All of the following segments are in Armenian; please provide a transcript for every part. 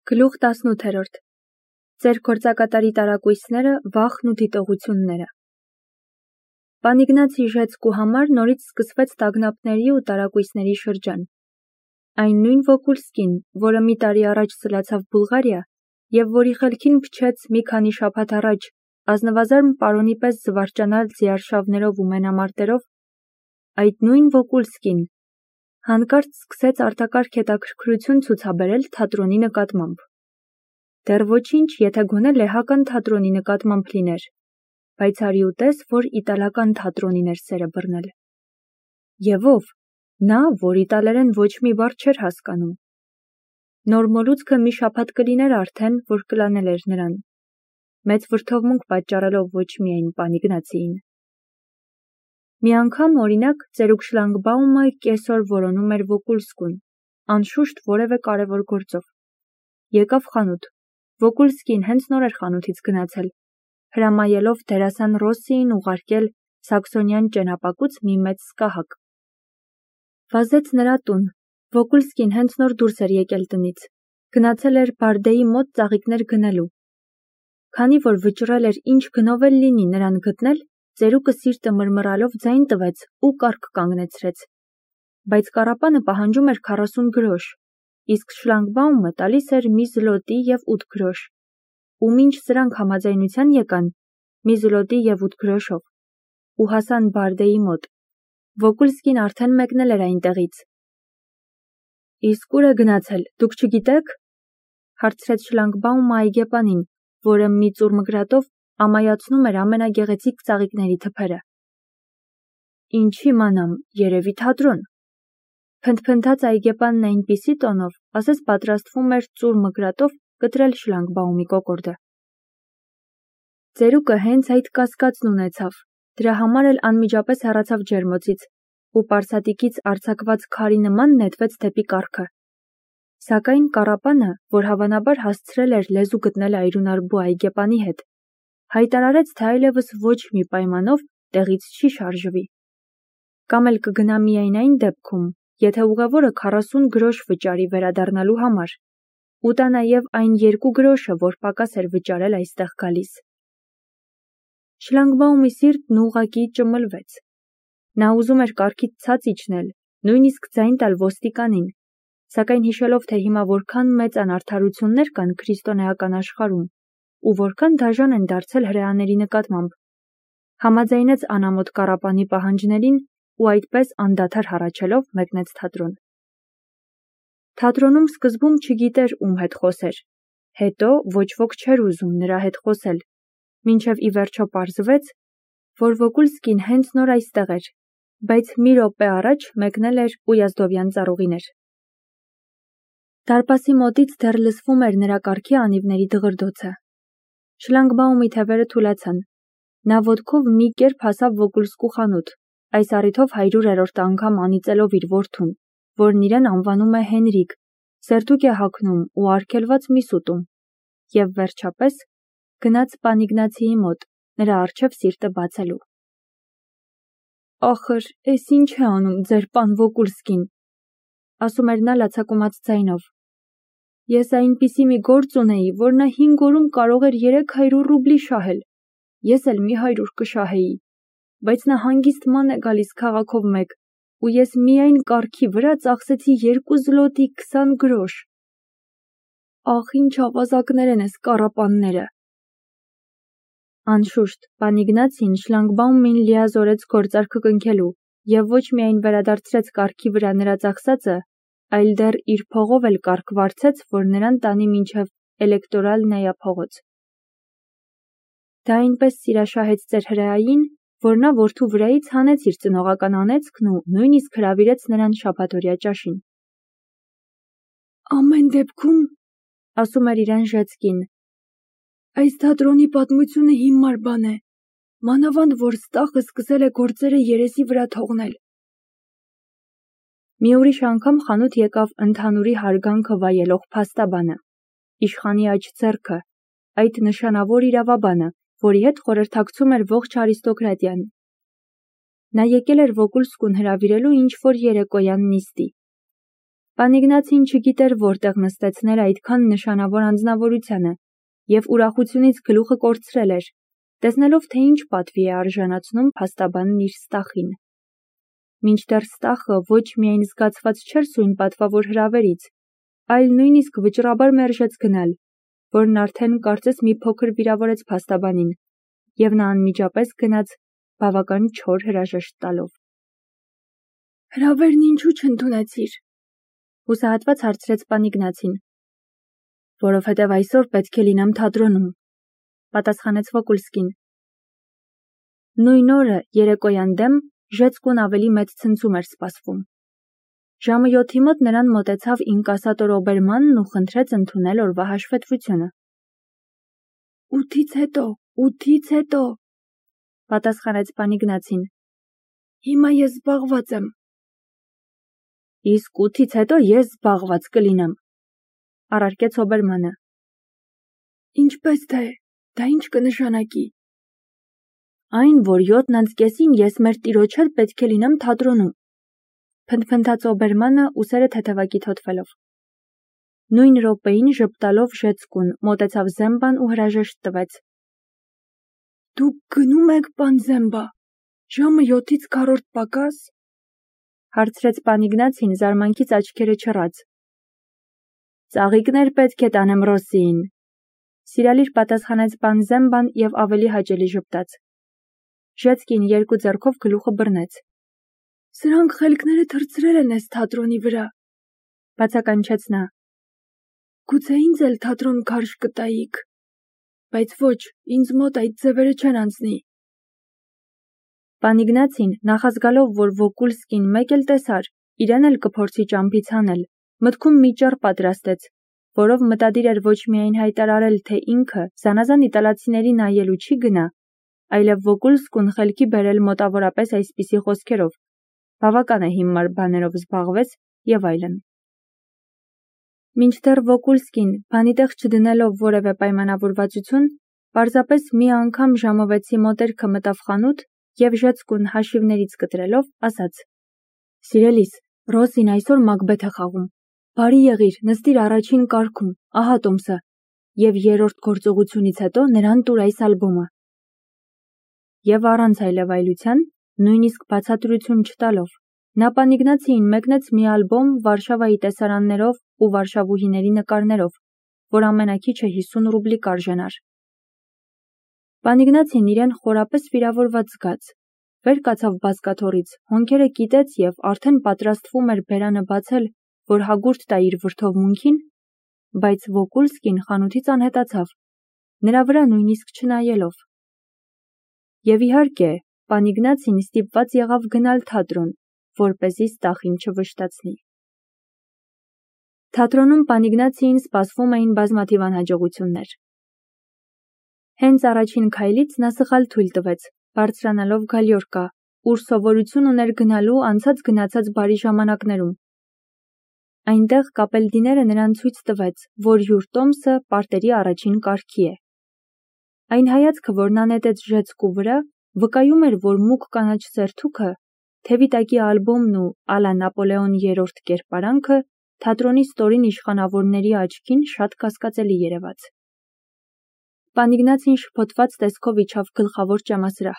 Գլուխ 18 Ձեր գործակատարի տարակույսները, վախն ու դիտողությունները։ Պան Իգնացի Ժեցկու համար նորից սկսվեց տագնապների ու տարակույսների շրջան։ Այն նույն Վոկուլսկին, որը մի տարի առաջ սլացավ Բուլղարիա և որի խելքին փչեց մի քանի շաբաթ առաջ ազնվազարմ պարոնի պես զվարճանալ ձիարշավներով ու մենամարտերով, այդ նույն Վոկուլսկին հանկարծ սկսեց արտակարգ հետաքրքրություն ցուցաբերել թատրոնի նկատմամբ։ Դեռ ոչինչ, եթե գոնե լեհական թատրոնի նկատմամբ լիներ, բայց արի ուտես, որ իտալական թատրոնին էր սերը բռնել։ Եվ ով, նա, որ իտալերեն ոչ մի բառ չէր հասկանում։ Նոր մոլուցքը մի շաբաթ կլիներ արդեն, որ կլանել էր նրան, մեծ վրդովմունք պատճառելով ոչ միայն պան Իգնացիին։ Մի անգամ, օրինակ, ծերուկ Շլանգբաումը կեսօր որոնում էր Վոկուլսկուն, անշուշտ որևէ կարևոր գործով։ Եկավ խանութ։ Վոկուլսկին հենց նոր էր խանութից գնացել, հրամայելով դերասան Ռոսսիին ուղարկել Սաքսոնյան ճենապակուց մի մեծ սկահակ։ Վազեց նրա տուն։ Վոկուլսկին հենց նոր դուրս էր եկել տնից, գնացել էր Բարդեի մոտ ծաղիկներ գնելու։ Քանի որ վճռել էր ինչ գնով էլ լինի նրան գտնել, ծերուկը սիրտը մռմռալով ձայն տվեց ու կառք կանգնեցրեց։ Բայց կառապանը պահանջում էր 40 գրոշ, իսկ Շլանգբաումը տալիս էր մի զլոտի և 8 գրոշ, ու մինչ սրանք համաձայնության եկան, մի զլոտի և 8 գրոշով, ու հասան Բարդեի մոտ, Վոկուլսկին արդեն մեկնել էր այնտեղից։ Իսկ ուր է գնացել, դուք չգիտեք, հարցրեց Շլանգբաումը այգեպանին, որը մի ծուռ մկրատով ամայացնում էր ամենագեղեցիկ ծաղիկների թփերը։ Ինչ իմանամ, երևի թատրոն։ Փնթփնթաց այգեպանն այնպիսի տոնով, ասես պատրաստվում էր ծուռ մկրատով կտրել Շլանգբաումի կոկորդը։ Ծերուկը հենց այդ կասկածն ունեցավ, դրա համար էլ անմիջապես հեռացավ ջերմոցից ու պարսատիկից արձակված քարի նման նետվեց դեպի կառքը։ Սակայն կառապանը, որ հավանաբար հասցրել էր լեզու գտնել այրունարբու այգեպանի հետ, հայտարարեց, թե այլևս ոչ մի պայմանով տեղից չի շարժվի։ Կամ էլ կգնա միայն այն դեպքում, եթե ուղևորը 40 գրոշ վճարի վերադառնալու համար, ու տա նաև այն 2 գրոշը, որ պակաս էր վճարել այստեղ գալիս։ Շլանգբաումի սիրտն ուղղակի ճմլվեց։ Նա ուզում էր կառքից ցած իջնել, նույնիսկ ձայն տալ ոստիկանին, սակայն հիշելով, թե հիմա որքան մեծ անարդարություններ կան քրիստոնեական աշխարհում ու որքան դաժան են դարձել հրեաների նկատմամբ, համաձայնեց անամոթ կառապանի պահանջներին ու այդպես անդադար հառաչելով մեկնեց թատրոն։ Թատրոնում սկզբում չգիտեր ում հետ խոսեր, հետո ոչ ոք չէր ուզում նրա հետ խոսել, մինչև ի վերջո պարզվեց, որ Վոկուլսկին հենց նոր այստեղ էր, բայց մի րոպե առաջ մեկնել էր Ույազդովյան ծառուղիներ։ Դարպասի մոտից դեռ լսվում էր նրա կառքի անիվների դղրդոցը։ Շլանգբաումի թևերը թուլացան։ Նա ոտքով մի կերպ հասավ Վոկուլսկու խանութ, այս առիթով 100-րդ անգամ անիծելով իր որդուն, որն իրեն անվանում է Հենրիկ, սերտուկ է հագնում ու արգելված միս ուտում, և վերջապես գնաց պան Իգնացիի մոտ, նրա առջև սիրտը բացելու։ Ախր, էս ինչ է անում ձեր պան Վոկուլսկին, ասում էր նա լացակումած ձայնով։ Ես այնպիսի մի գործ ունեի, որ նա 5 օրում կարող էր 300 ռուբլի շահել, ես էլ մի 100 կշահեի, բայց նա հանգիստ ման է գալիս քաղաքով մեկ, ու ես միայն կառքի վրա ծախսեցի 2 զլոտի 20 գրոշ։ Ախ, ինչ ավազակներ են էս կառապանները։ Անշուշտ, պան Իգնացին Շլանգբաումին լիազորեց գործարքը կնքելու և ոչ միայն վերադարձրեց կառքի վրա նրա ծախսածը, այլ դեռ իր փողով էլ կառք վարձեց, որ նրան տանի մինչև Էլեկտորալնայա փողոց։ Դա այնպես սիրաշահեց ծեր հրեային, որ նա որդու վրայից հանեց իր ծնողական անեծքն ու նույնիսկ հրավիրեց նրան շաբաթօրյա ճաշին։ Ամեն դեպքում, ասում էր իրեն Ժեցկին, այս թատրոնի պատմությունը հիմար բան է, մանավանդ որ Ստախը սկսել է գործերը երեսի վրա թողնել։ Մի ուրիշ անգամ խանութ եկավ ընդհանուրի հարգանքը վայելող փաստաբանը, իշխանի աջ ձեռքը, այդ նշանավոր իրավաբանը, որի հետ խորհրդակցում էր ողջ արիստոկրատիան։ Նա եկել էր Վոկուլսկուն հրավիրելու ինչ-որ երեկոյան նիստի։ Պան Իգնացին չգիտեր որտեղ նստեցնել այդքան նշանավոր անձնավորությանը և ուրախությունից գլուխը կորցրել էր, տեսնելով թե ինչ պատվի է արժանացնում փաստաբանն իր Ստախին։ Մինչդեռ Ստախը ոչ միայն զգացված չէր սույն պատվավոր հրավերից, այլ նույնիսկ վճռաբար մերժեց գնալ, որն արդեն կարծես մի փոքր վիրավորեց փաստաբանին, և նա անմիջապես գնաց բավական չոր հրաժեշտ տալով։ Հրավերն ինչու չընդունեցիր, հուսահատված հարցրեց պան Իգնացին։ Որովհետև այսօր պետք է լինեմ թատրոնում, պատասխանեց Վոկուլսկին։ Նույն օրը երեկոյան դեմ Ժեցկուն ավելի մեծ ցնցում էր սպասվում։ Ժամը 7-ի մոտ նրան մոտեցավ ինկասատոր Օբերմանն ու խնդրեց ընդունել օրվա հաշվետվությունը։ 8-ից հետո, պատասխանեց պան Իգնացին։ Հիմա ես զբաղված եմ։ Իսկ 8-ից հետո ես զբաղված կլինեմ, առարկեց Օբերմանը։ Ինչպես թե, դա ինչ կնշանակի։ Այն, որ 7:30 ես մեր տիրոջ հետ պետք է լինեմ թատրոնում, փնթփնթաց Օբերմանը ուսերը թեթևակի թոթվելով։ Նույն րոպեին ժպտալով Ժեցկուն մոտեցավ Զեմբան ու հրաժեշտ տվեց։ Դուք գնում եք, պան Զեմբա, ժամը 7-ից քառորդ պակաս, հարցրեց պան Իգնացին զարմանքից աչքերը չռած։ Ծաղիկներ պետք է տանեմ Ռոսիին, սիրալիր պատասխանեց պան Զեմբան և ավելի հաճելի ժպտաց։ Ժեցկին երկու ձեռքով գլուխը բռնեց։ Սրանք խելքները թռցրել են էս թատրոնի վրա, բացականչեց նա։ Գուցե ինձ էլ թատրոն քարշ կտայիք, բայց ոչ, ինձ մոտ այդ ձևերը չեն անցնի։ Պան Իգնացին, նախազգալով, որ Վոկուլսկին մեկ էլ տեսար, իրեն էլ կփորձի ճամփից հանել, մտքում մի ճառ պատրաստեց, որով մտադիր էր ոչ միայն հայտարարել, թե ինքը զանազան իտալացիների նայելու չի գնա, այլև Վոկուլսկուն խելքի բերել մոտավորապես այսպիսի խոսքերով, բավական է հիմար բաներով զբաղվես և այլն։ Մինչդեռ Վոկուլսկին, բանի տեղ չդնելով որևէ պայմանավորվածություն, պարզապես մի անգամ ժամը 6-ի մոտերքը մտավ խանութ և Ժեցկուն հաշիվներից կտրելով ասաց. Սիրելիս, Ռոսին այսօր Մակբեթ է խաղում, բարի եղիր, նստիր առաջին կարգում, ահա տոմսը, և երրորդ գործողությունից հետո նրան տուր այս ալբոմը։ Եվ առանց այլևայլության, նույնիսկ բացատրություն չտալով, նա պան Իգնացիին մեկնեց մի ալբոմ Վարշավայի տեսարաններով ու վարշավուհիների նկարներով, որ ամենաքիչը 50 ռուբլի կարժենար։ Պան Իգնացին իրեն խորապես վիրավորված զգաց, վեր կացավ բազկաթոռից, հոնքերը կիտեց և արդեն պատրաստվում էր բերանը բացել, որ հագուրդ տա իր վրդովմունքին, բայց Վոկուլսկին խանութից անհետացավ, նրա վրա նույնիսկ չնայելով։ Եվ իհարկե, պան Իգնացին ստիպված եղավ գնալ թատրոն, որպեսզի Ստախին չվշտացնի։ Թատրոնում պան Իգնացիին սպասվում էին բազմաթիվ անհաջողություններ։ Հենց առաջին քայլից նա սխալ թույլ տվեց, բարձրանալով գալյորկա, ուր սովորություն ուներ գնալու անցած-գնացած բարի ժամանակներում։ Այնտեղ կապելդիները նրան ցույց տվեց, որ յուր տոմսը պարտերի առաջին կարգի է։ Այն հայացքը, որ նա նետեց Ժեցկու վրա, վկայում էր, որ մուգ կանաչ սերթուքը, թևի տակի ալբոմն ու ալա Նապոլեոն III կերպարանքը թատրոնի ստորին իշխանավորների աչքին շատ կասկածելի երևաց։ Պան Իգնացին շփոթված տեսքով իջավ գլխավոր ճամասրահ,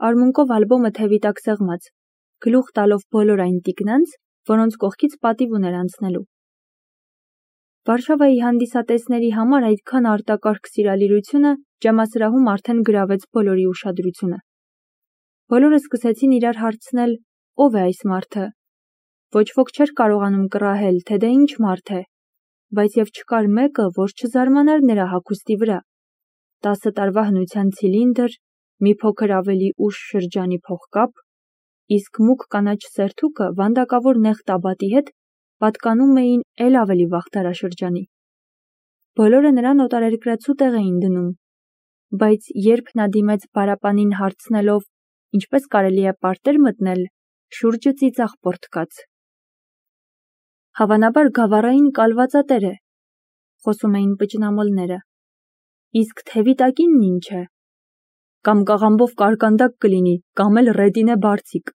արմունկով ալբոմը թևի տակ սեղմած, գլուխ տալով բոլոր այն տիկնանց, որոնց կողքից պատիվ ուներ անցնելու։ Վարշավայի հանդիսատեսների համար այդքան արտակարգ սիրալիրությունը ճամասրահում արդեն գրավեց բոլորի ուշադրությունը։ Բոլորը սկսեցին իրար հարցնել, ով է այս մարդը։ Ոչ ոք չէր կարողանում կռահել, թե դա ինչ մարդ է, բայց և չկար մեկը, որ չզարմանար նրա հագուստի վրա։ 10 տարվա հնության ցիլինդր, մի փոքր ավելի ուշ շրջանի փողկապ, իսկ մուգ կանաչ սերթուքը վանդակավոր նեղ տաբատի հետ պատկանում էին էլ ավելի վաղ դարաշրջանի։ Բոլորը նրան օտարերկրացու տեղ էին դնում, բայց երբ նա դիմեց պարապանին հարցնելով, ինչպես կարելի է պարտեր մտնել, շուրջը ծիծաղ պոռթկաց։ Հավանաբար գավառային կալվածատեր է, խոսում էին պճնամոլները, իսկ թևի տակինն ինչ է։ Կամ կաղամբով կարկանդակ կլինի, կամ էլ ռետինե բարձիկ։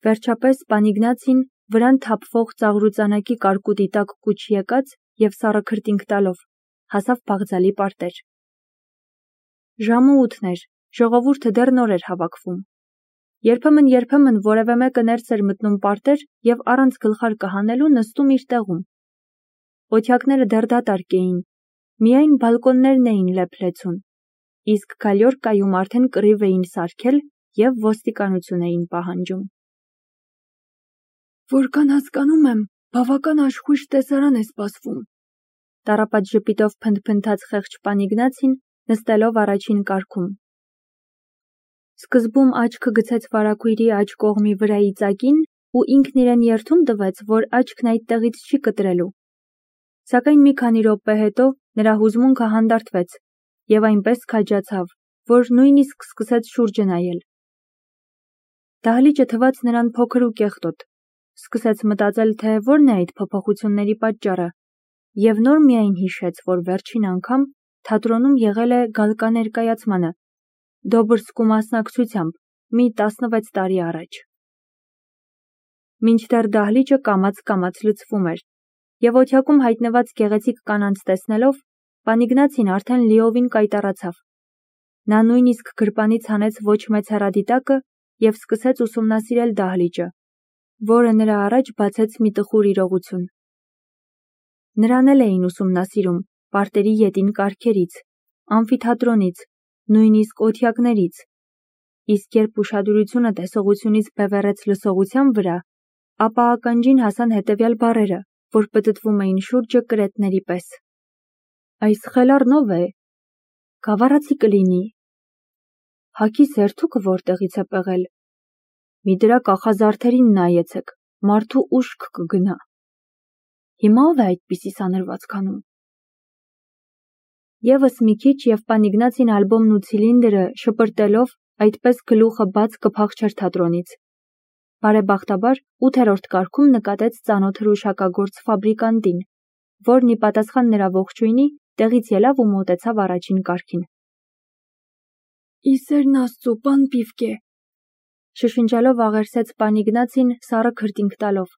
Վերջապես պան Իգնացին վրան թափվող ծաղրուծանակի կարկուտի տակ կուչ եկած և սառը քրտինք տալով, հասավ Բաղձալի պարտեր։ Ժամը 8 էր, ժողովուրդը դեռ նոր էր հավաքվում։ Երբեմն որևէ մեկը ներս էր մտնում պարտեր և առանց գլխարկը հանելու նստում իր տեղում։ Օթյակները դեռ դատարկ էին, միայն բալկոններն էին լեփ-լեցուն, իսկ գալյորկայում արդեն կռիվ էին սարքել և ոստիկանություն էին պահանջում։ Որքան հասկանում եմ, բավական աշխույժ տեսարան է սպասվում, տառապած ժպիտով փնթփնթաց խեղճ պան Իգնացին, նստելով առաջին կարգում։ Սկզբում աչքը գցեց վարագույրի աջ կողմի վրայի ծակին ու ինքն իրեն երդում տվեց, որ աչքն այդտեղից չի կտրելու։ Սակայն մի քանի րոպե հետո նրա հուզմունքը հանդարտվեց և այնպես քաջացավ, որ նույնիսկ սկսեց շուրջը նայել։ Դահլիճը թվաց նրան փոքր ու կեղտոտ, սկսեց մտածել, թե որն է այդ փոփոխությունների պատճառը, և նոր միայն հիշեց, որ վերջին անգամ թատրոնում եղել է գալկա ներկայացմանը, Դոբրսկու մասնակցությամբ, մի 16 տարի առաջ։ Մինչդեռ դահլիճը կամաց-կամաց լցվում էր, և օթյակում հայտնված գեղեցիկ կանանց տեսնելով, պան Իգնացին արդեն լիովին կայտառացավ։ Նա նույնիսկ գրպանից հանեց ոչ մեծ հեռադիտակը և սկսեց ուսումնասիրել դահլիճը, որը նրա առաջ բացեց մի տխուր իրողություն։ Նրան էլ էին ուսումնասիրում պարտերի ետին կարգերից, ամֆիթատրոնից, նույնիսկ օթյակներից, իսկ երբ ուշադրությունը տեսողությունից բևեռեց լսողության վրա, ապա ականջին հասան հետևյալ բառերը, որ պտտվում էին շուրջը կրետների պես. «Այս խելառն ով է, գավառացի կլինի, հագի սերթուկը որտեղից է պեղել, մի դրա կախազարդերին նայեցեք, մարդու ուշք կգնա, հիմա ով է այդպիսի սանրվածք անում»։ Եվս մի քիչ և պան Իգնացին ալբոմն ու ցիլինդրը շպրտելով այդպես գլուխը բաց կփախչեր թատրոնից։ Բարեբախտաբար 8-րդ կարգում նկատեց ծանոթ հրուշակագործ ֆաբրիկանտին, որն ի պատասխան նրա ողջույնի տեղից ելավ ու մոտեցավ առաջին կարգին։ «Իսերն Աստծու, պան Պիվկե», շշնջալով աղերսեց պան Իգնացին սառը քրտինք տալով։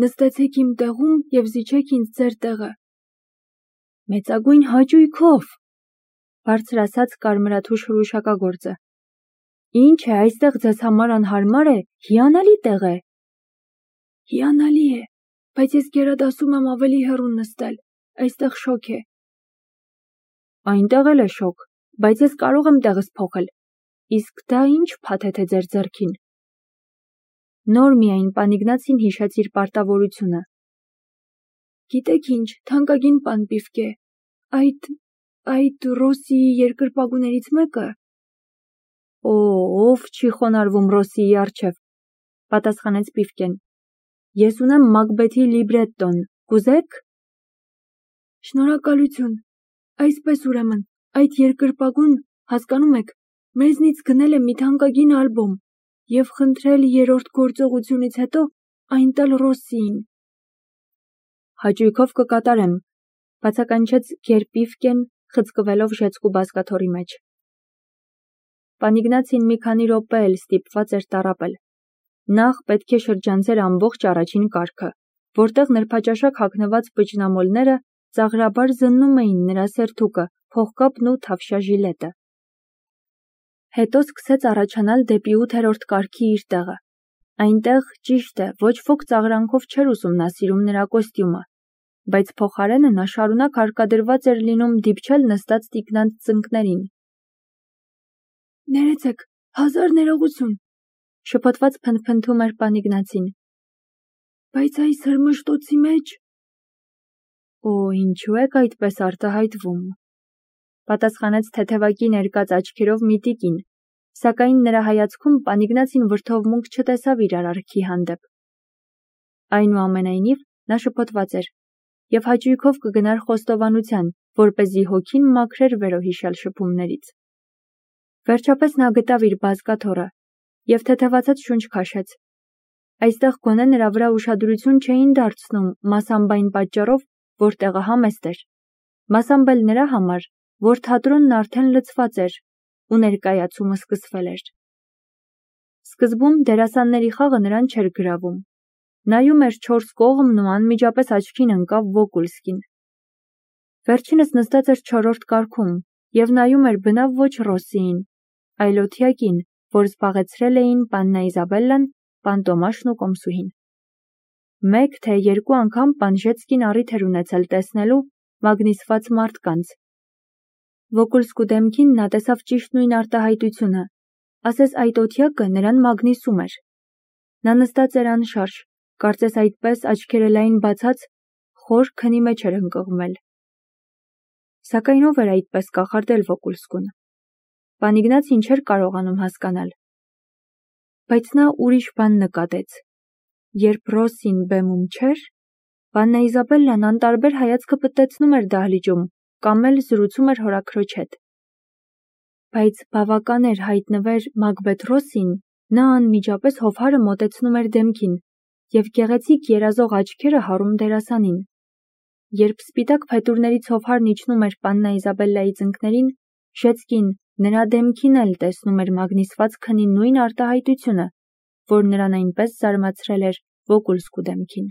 «Նստեցեք իմ տեղում և զիջեք ինձ ձեր տեղը»։ «Մեծագույն հաճույքով», բարձր ասաց կարմրաթուշ հրուշակագործը։ «Ինչ է, այստեղ ձեզ համար անհարմար է, հիանալի տեղ է»։ «Հիանալի է, բայց ես գերադասում եմ ավելի հեռու նստել, այստեղ շոգ է»։ «Այնտեղ էլ է շոգ, բայց ես կարող եմ տեղս փոխել, իսկ դա ինչ փաթեթ է ձեր ձեռքին»։ Նոր միայն պան Իգնացին հիշեց իր պարտավորությունը։ «Գիտեք ինչ, թանկագին պան Պիվկե, այդ Ռոսիի երկրպագուներից մեկը»։ «Օ, ով չի խոնարհվում Ռոսիի առջև», պատասխանեց Պիվկեն։ «Ես ունեմ Մակբեթի լիբրետոն, կուզե՞ք»։ «Շնորհակալություն, այսպես ուրեմն, այդ երկրպագուն, հասկանում եք, մեզնից գնել է մի թանկագին ալբոմ և խնդրել երրորդ գործողությունից հետո այն տալ Ռոսիին»։ «Հաճույքով կկատարեմ», բացականչեց գեր Պիվկեն, խցկվելով ժեցկու բազկաթոռի մեջ։ Պան Իգնացին մի քանի րոպե էլ ստիպված էր տառապել։ Նախ պետք է շրջանցեր ամբողջ առաջին կարգը, որտեղ նրբաճաշակ հագնված պճնամոլները ծաղրաբար զննում էին նրա սերթուկը, փողկապն ու թավշյա ժիլետը։ Հետո սկսեց առաջանալ դեպի 8-րդ կարգի իր տեղը։ Այնտեղ, ճիշտ է, ոչ ոք ծաղրանքով չէր ուսումնասիրում նրա կոստյումը, բայց փոխարենը նա շարունակ հարկադրված էր լինում դիպչել նստած տիկնանց ծնկներին։ «Ներեցեք, հազար ներողություն», շփոթված փնթփնթում էր պան Իգնացին։ «Բայց այս հրմշտոցի մեջ»։ «Օ, ինչու եք այդպես արտահայտվում», պատասխանեց թեթևակի ներկած աչքերով մի տիկին, սակայն նրա հայացքում պան Իգնացին վրդովմունք չտեսավ իր արարքի հանդեպ։ Այնուամենայնիվ նա շփոթված էր և հաճույքով կգնար խոստովանության, որպեսզի հոգին մաքրեր վերոհիշյալ շփումներից։ Վերջապես նա գտավ իր բազկաթոռը և թեթևացած շունչ քաշեց։ Այստեղ գոնե նրա վրա ուշադրություն չէին դարձնում մասամբ այն պատճառով, որ տեղը համեստ էր, մասամբ էլ նրա համար, որ թատրոնն արդեն լցված էր ու ներկայացումը սկսվել էր։ Սկզբում դերասանների խաղը նրան չէր գրավում, Նայում էր չորս կողմն ու անմիջապես աչքին ընկավ Վոկուլսկին։ Վերջինս նստած էր չորրորդ կարգում և նայում էր բնավ ոչ Ռոսիին, այլ օթյակին, որ զբաղեցրել էին պաննա Իզաբելլան, պան Տոմաշն ու կոմսուհին։ Մեկ թե երկու անգամ պան Ժեցկին առիթ էր ունեցել տեսնելու մագնիսված մարդկանց։ Վոկուլսկու դեմքին նա տեսավ ճիշտ նույն արտահայտությունը, ասես այդ օթյակը նրան մագնիսում էր։ Նա նստած էր անշարժ, կարծես այդպես աչքերը լայն բացած, խոր քնի մեջ էր ընկղմել։ Սակայն ով էր այդպես կախարդել Վոկուլսկուն։ Պան Իգնացին չէր կարողանում հասկանալ։ Բայց նա ուրիշ բան նկատեց։ Երբ Ռոսին բեմում չէր, պաննա Իզաբելլան անտարբեր հայացքը պտտեցնում էր դահլիճում կամ էլ զրուցում էր հորաքրոջ հետ։ Բայց բավական էր հայտնվեր Մակբեթ Ռոսին, նա անմիջապես հովհարը մոտեցնում էր դեմքին և գեղեցիկ երազող աչքերը հառում դերասանին։ Երբ սպիտակ փետուրներից հովհարն իջնում էր պաննա Իզաբելլայի ծնկներին, Ժեցկին նրա դեմքին էլ տեսնում էր մագնիսված քնի նույն արտահայտությունը, որ նրան այնպես զարմացրել էր Վոկուլսկու դեմքին։